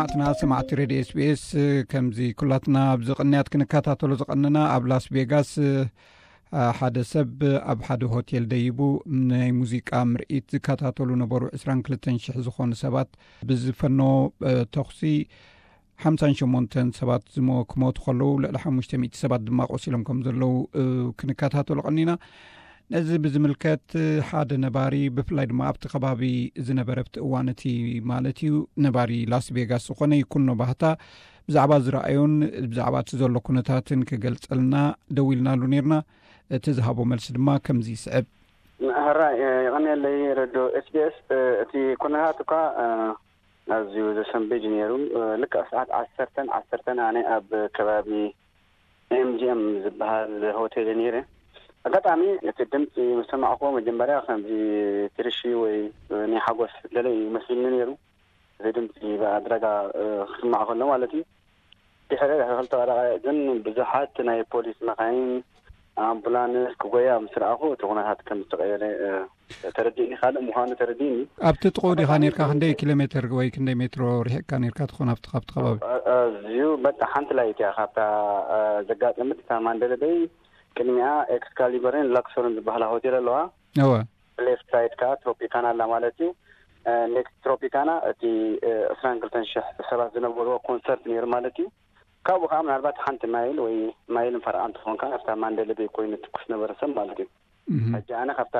ሰማዕትና ሰማዕቲ ሬድዮ ኤስቢኤስ፣ ከምዚ ኩላትና ኣብዚ ቅንያት ክንከታተሎ ዝቐንና፣ ኣብ ላስ ቬጋስ ሓደ ሰብ ኣብ ሓደ ሆቴል ደይቡ ናይ ሙዚቃ ምርኢት ዝከታተሉ ነበሩ ዕስራን ክልተን ሽሕ ዝኾኑ ሰባት ብዝፈኖ ተኹሲ ሓምሳን ሸሞንተን ሰባት ዝሞ ክሞቱ ከለዉ፣ ልዕሊ ሓሙሽተ ሚእቲ ሰባት ድማ ቆሲሎም ከም ዘለዉ ክንከታተሎ ቀኒና። ነዚ ብዝምልከት ሓደ ነባሪ፣ ብፍላይ ድማ ኣብቲ ከባቢ ዝነበረ ኣብቲ እዋን እቲ ማለት እዩ፣ ነባሪ ላስ ቬጋስ ዝኾነ ይኩኖ ባህታ፣ ብዛዕባ ዝረኣዮን ብዛዕባ እቲ ዘሎ ኩነታትን ክገልጸልና ደዊልናሉ ነርና። እቲ ዝሃቦ መልሲ ድማ ከምዚ ይስዕብ። ሕራይ፣ የቐንየለይ ረዶ ኤስቢኤስ። እቲ ኩነታት እኳ ኣዝዩ ዘሰንብድ ነይሩ። ልክዕ ሰዓት ዓሰርተን ዓሰርተን ኣነ ኣብ ከባቢ ኤምጂኤም ዝበሃል ሆቴል ነይረ። ኣጋጣሚ እቲ ድምፂ ምስ ሰማዕኩዎ መጀመርያ ከምዚ ትርሺ ወይ ናይ ሓጎስ ገለ እዩ መስልኒ ነይሩ። እዚ ድምፂ ብኣድራጋ ክስማዕ ከሎ ማለት እዩ። ድሕሪ ክልተ ደቂቕ ግን ብዙሓት ናይ ፖሊስ መኻይን፣ ኣምቡላንስ ክጎያ ምስ ረኣኹ እቲ ኩነታት ከም ዝተቐየረ ተረዲእኒ። ካልእ ምዃኑ ተረዲእኒ። ኣብቲ ጥቕኡ ዲኻ ነርካ? ክንደይ ኪሎ ሜትር ወይ ክንደይ ሜትሮ ርሒቕካ ነርካ ትኾን ኣብቲ፣ ካብቲ ከባቢ? ኣዝዩ በቃ ሓንቲ ላይት እያ ካብታ ዘጋጠመት፣ እታ ማንደለ በይ። ቅድሚኣ ኤክስካሊበርን ላክሶርን ዝበሃላ ሆቴል ኣለዋ። እወ። ሌፍት ሳይድ ከኣ ትሮፒካና ኣላ ማለት እዩ። ኔክስት ትሮፒካና እቲ ዕስራን ክልተን ሽሕ ሰባት ዝነበርዎ ኮንሰርት ነይሩ ማለት እዩ። ካብኡ ከዓ ምናልባት ሓንቲ ማይል ወይ ማይልን ፈረቓን ትኸውን ከኣ ኣብታ ማንደለ ቤይ ኮይኑ ትኩስ ነበረ ሰብ ማለት እዩ። ሕጂ ኣነ ካብታ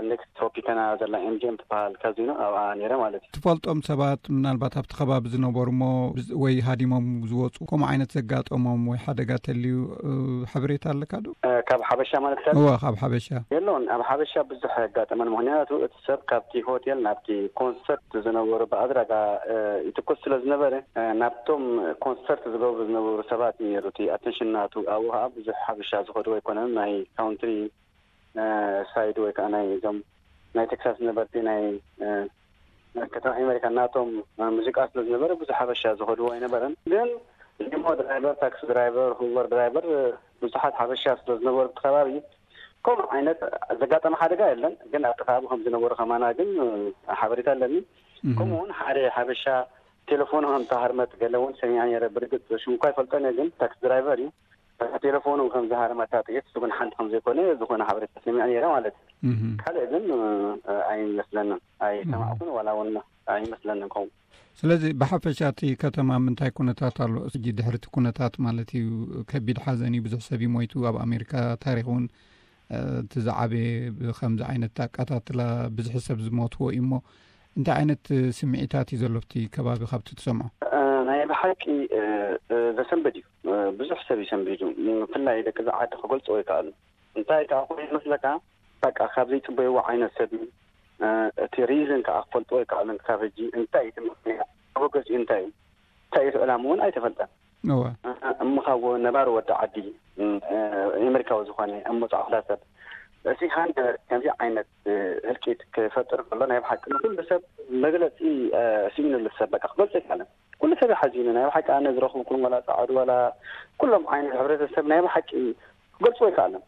ኔክስት ትሮፒካና ዘላ ኤምጂኤም ትበሃል ካዚኖ ኣብኣ ነይረ ማለት እዩ። ትፈልጦም ሰባት ምናልባት ኣብቲ ከባቢ ዝነበሩ እሞ ወይ ሃዲሞም ዝወፁ ከምኡ ዓይነት ዘጋጠሞም ወይ ሓደጋ ተልዩ ሓበሬታ ኣለካ ዶ? ካብ ሓበሻ ማለት እወ፣ ካብ ሓበሻ። የለውን። ኣብ ሓበሻ ብዙሕ ኣጋጠመን፣ ምክንያቱ እቲ ሰብ ካብቲ ሆቴል ናብቲ ኮንሰርት ዝነበሩ ብኣድራጋ ይትኮስ ስለ ዝነበረ ናብቶም ኮንሰርት ዝገብሩ ዝነበሩ ሰባት ነይሩ እቲ ኣተንሽን ናቱ። ኣብኡ ከዓ ብዙሕ ሓበሻ ዝኸዱ ኣይኮነን። ናይ ካውንትሪ ሳይድ ወይ ከዓ ናይ እዞም ናይ ቴክሳስ ነበርቲ ናይ ከተማ ኣሜሪካ ናቶም ሙዚቃ ስለ ዝነበረ ብዙሕ ሓበሻ ዝኸድዎ ኣይነበረን። ግን ሊሞ ድራይቨር፣ ታክሲ ድራይቨር፣ ሁበር ድራይቨር፣ ብዙሓት ሓበሻ ስለ ዝነበሩ እቲ ከባቢ ከምኡ ዓይነት ዘጋጠመ ሓደጋ የለን። ግን ኣብቲ ከባቢ ከም ዝነበሩ ከማና ግን ሓበሬታ ኣለኒ። ከምኡ እውን ሓደ ሓበሻ ቴሌፎኑ ከም ተሃርመት ገለ እውን ሰሚዐ ነይረ። ብርግፅ ሽሙ እኳ ይፈልጦን እየ፣ ግን ታክሲ ድራይቨር እዩ። ቴሌፎኑ ከም ዝሃርመታ ጥይት እሱ ግን ሓንቲ ከም ዘይኮነ ዝኾነ ሓበሬታ ሰሚዐ ነይረ ማለት እዩ። ካልእ ግን ኣይመስለንን፣ ኣይሰማዕኩን ዋላ እውን ኣይመስለንን ከምኡ። ስለዚ ብሓፈሻ እቲ ከተማ ምንታይ ኩነታት ኣሎ? ሕጂ ድሕሪ እቲ ኩነታት ማለት እዩ፣ ከቢድ ሓዘን እዩ፣ ብዙሕ ሰብ እዩ ሞይቱ። ኣብ ኣሜሪካ ታሪኽ እውን እቲ ዝዓበየ ብከምዚ ዓይነት ኣቃታትላ ብዙሕ ሰብ ዝሞትዎ እዩ እሞ እንታይ ዓይነት ስምዒታት እዩ ዘሎ ኣብቲ ከባቢ ካብቲ ትሰምዖ? ናይ ብሓቂ ዘሰንብድ እዩ። ብዙሕ ሰብ እዩ ሰንቢዱ። ብፍላይ ደቂ እዚ ዓዲ ክገልፅዎ ይከኣሉ። እንታይ ከዓ ኮይኑ ይመስለካ፣ በቃ ካብ ዘይፅበይዎ ዓይነት ሰብ እዩ። እቲ ሪዝን ከዓ ክፈልጥዎ ይከኣሉ። ካብ ሕጂ እንታይ እዩ እቲ ምክንያት፣ መበገሲኡ እንታይ እዩ፣ እንታይ እዩ እቲ ዕላማ እውን ኣይተፈልጠን። እሞ ካብ ነባሪ ወዲ ዓዲ ኣሜሪካዊ ዝኾነ እሞ ፃዕዳ ሰብ እዚ ሃንደበት ከምዚ ዓይነት ህልቂት ክፈጥር ከሎ ናይ ብሓቂ ንኩሉ ሰብ መግለፂ ስኢኑሉ ሰብ በቃ ክገልፅ ኣይከኣለን። ኩሉ ሰብ ሓዚኑ ናይ ብሓቂ ኣነ ዝረኽብኩም ዋላ ፃዓዱ ዋላ ኩሎም ዓይነት ሕብረተሰብ ናይ ብሓቂ ክገልፅዎ ኣይከኣለን።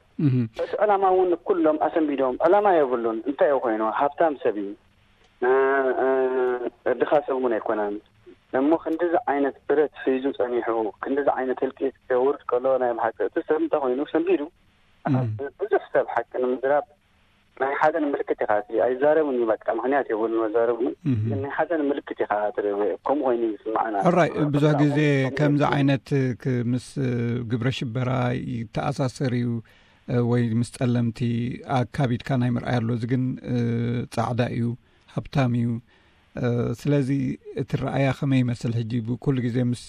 እቲ ዕላማ እውን ኩሎም ኣሰንቢዶም ዕላማ የብሉን። እንታይ እዩ ኮይኑ ሃብታም ሰብ እዩ፣ ድኻ ሰብ እውን ኣይኮነን። እሞ ክንዲዚ ዓይነት ብረት ሒዙ ፀኒሑ ክንዲዚ ዓይነት ህልቂት ከውርድ ከሎ ናይ ብሓቂ እቲ ሰብ እንታይ ኮይኑ ሰንቢዱ ብዙሕ ሰብ ሓቂ ንምዝራብ ናይ ሓዘን ምልክት ኢኻ ትርኢ። ኣይዛረብን እዩ በቃ ምክንያት የብሉን መዛረቡ። ግን ናይ ሓዘን ምልክት ኢኻ ትርኢ። ከምኡ ኮይኑ እዩ ዝስማዓና። ሕራይ ብዙሕ ግዜ ከምዚ ዓይነት ምስ ግብረ ሽበራ ይተኣሳሰር እዩ። ወይ ምስ ጸለምቲ ኣካቢድካ ናይ ምርኣይ ኣሎ። እዚ ግን ጻዕዳ እዩ፣ ሃብታም እዩ። ስለዚ እቲ ረኣያ ከመይ ይመስል ሕጂ? ብኩሉ ግዜ ምስ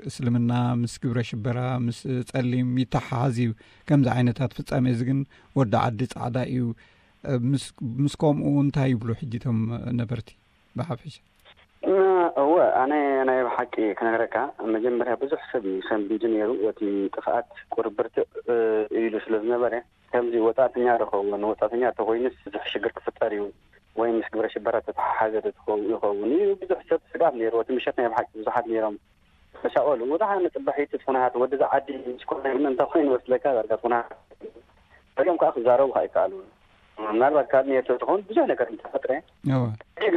እስልምና፣ ምስ ግብረ ሽበራ፣ ምስ ጸሊም ይተሓሓዝ እዩ ከምዚ ዓይነታት ፍጻሜ። እዚ ግን ወዲ ዓዲ ጻዕዳ እዩ። ምስ ከምኡ እንታይ ይብሉ ሕጂ እቶም ነበርቲ ብሓፈሻ? እወ፣ ኣነ ናይ ብሓቂ ክነግረካ፣ መጀመርያ ብዙሕ ሰብ እዩ ሰንቢዱ ነይሩ። እቲ ጥፍኣት ቁርብርትዕ ኢሉ ስለ ዝነበረ ከምዚ ወጻእተኛ ዶ ኸውን፣ ወጻእተኛ ተኾይኑስ ብዙሕ ሽግር ክፍጠር እዩ ወይ ምስ ግብረ ሽበራ ተተሓሓዘ ዶ ትኸውን ይኸውን እዩ ብዙሕ ሰብ ስጋት ነይሩ። እቲ ምሸት ናይ ብሓቂ ብዙሓት ነይሮም ተሻቐሉ። ወደ ሓነ ጽባሒት እቲ ኩነታት ወዲ ዝዓዲ ምስ ኮነ ግን እንታይ ኮይኑ መስለካ ዳርጋ እቲ ኩነታት ፈሊዮም ከኣ ክዛረቡ ከኣ ይከኣሉ። ምናልባት ካብ ኔቶ ትኸውን ብዙሕ ነገር እንተፈጥረ ግን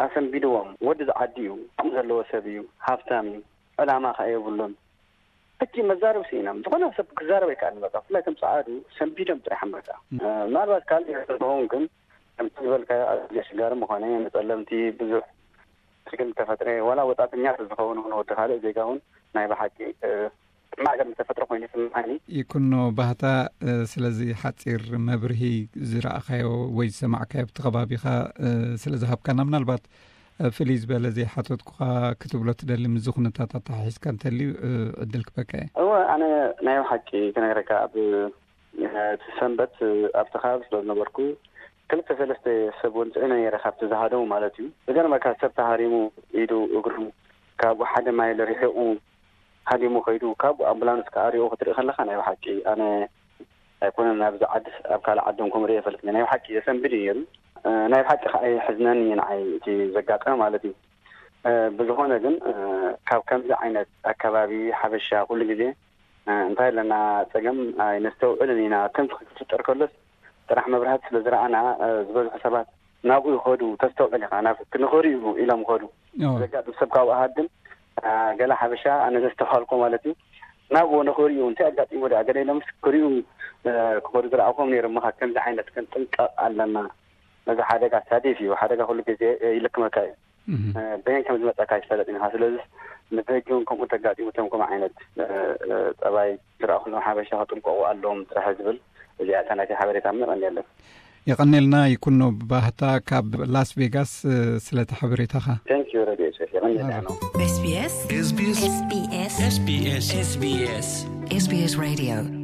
ኣሰንቢድዎም። ወዲ ዝዓዲ እዩ፣ ዓቕሚ ዘለዎ ሰብ እዩ፣ ሃብታም እዩ፣ ዕላማ ከኣ የብሉን። ሕጂ መዛረብ ስኢኖም። ዝኾነ ሰብ ክዛረብ ኣይከኣልን። በቃ ብፍላይ ከም ጸዓዱ ሰንቢዶም ጥራሕ እምበቃ። ምናልባት ካልእ ይኸውን ግን ከምቲ ዝበልካዮ ኣዝዩ ኣሸጋሪ ምኾነ፣ ንጸለምቲ ብዙሕ ችግር ተፈጥረ፣ ዋላ ወጻእተኛ ዝኸውን እውን ወዲ ካልእ ዜጋ እውን ናይ ብሓቂ ማዕገብ ዝተፈጥረ ኮይኑ ይስምዓኒ። ይኩኖ ባህታ፣ ስለዚ ሓጺር መብርሂ ዝረኣኻዮ ወይ ዝሰማዕካዮ ኣብቲ ከባቢኻ ስለ ዝሃብካና፣ ምናልባት ፍልይ ዝበለ ዘይሓተትኩኻ ክትብሎ ትደሊ፣ ምስዚ ኩነታት ኣተሓሒዝካ እንተልዩ ዕድል ክበካ እየ። እወ፣ ኣነ ናይ ብሓቂ ክነግረካ፣ ኣብ እቲ ሰንበት ኣብቲ ከባቢ ስለ ዝነበርኩ፣ ክልተ ሰለስተ ሰብ እውን ጽዒነ ነይረ፣ ካብቲ ዝሃደሙ ማለት እዩ። ዝገርመካ፣ ሰብ ተሃሪሙ ኢዱ እግሩ ካብኡ ሓደ ማይል ርሒቑ ሃዲሙ ከይዱ፣ ካብኡ ኣምቡላንስ ከኣ ሪኡ ክትርኢ ከለኻ፣ ናይ ብሓቂ ኣነ ኣይኮነን ኣብዚ ዓዲ፣ ኣብ ካልእ ዓዲ እውን ከምኡ ርእየ ይፈልጥን። ናይ ብሓቂ የሰንብድ እዩ ነይሩ። ናይ ብሓቂ ከኣ የሕዝነኒ እዩ ንዓይ እቲ ዘጋጠመ ማለት እዩ። ብዝኾነ ግን ካብ ከምዚ ዓይነት ኣከባቢ ሓበሻ ኩሉ ግዜ እንታይ ኣለና ጸገም ኣይነስተውዕልን ኢና። ከምዚ ክፍጠር ከሎስ ጥራሕ መብራህቲ ስለ ዝረኣና፣ ዝበዝሑ ሰባት ናብኡ ይኸዱ። ተስተውዕል ኢኻ፣ ናብ ክንኽሪኡ ኢሎም ይኸዱ። ዘጋጥም ሰብ ካብኡ ሃድም፣ ገለ ሓበሻ ኣነ ዘስተውሃልኮ ማለት እዩ፣ ናብኡ ንኽሪኡ እንታይ ኣጋጢሙ ደኣ ገለ ኢሎምስ ክሪኡ ክኸዱ ዝረኣኹም ነይሮም። ምኻ ከምዚ ዓይነት ክንጥንቀቕ ኣለና። ነዚ ሓደጋ ሳዲፍ እዩ። ሓደጋ ኩሉ ግዜ ይልክመካ እዩ። በየን ከም ዝመጸካ ኣይትፈለጥን ኢኻ። ስለዚ ንብሕጂ እውን ከምኡ ተጋጢሙ እቶም ከምኡ ዓይነት ጸባይ ዝረኣኹሎም ሓበሻ ክጥንቀቑ ኣለዎም ጥራሕ ዝብል፣ እዚኣ እታ ናተይ ሓበሬታ። የቐንየልና። የቐንየልና ይኩኖ ባህታ ካብ ላስ ቬጋስ ስለቲ ሓበሬታኻ። Thank you ረድዮ ሸፍ፣ የቐንየልና። SBS SBS SBS SBS SBS SBS Radio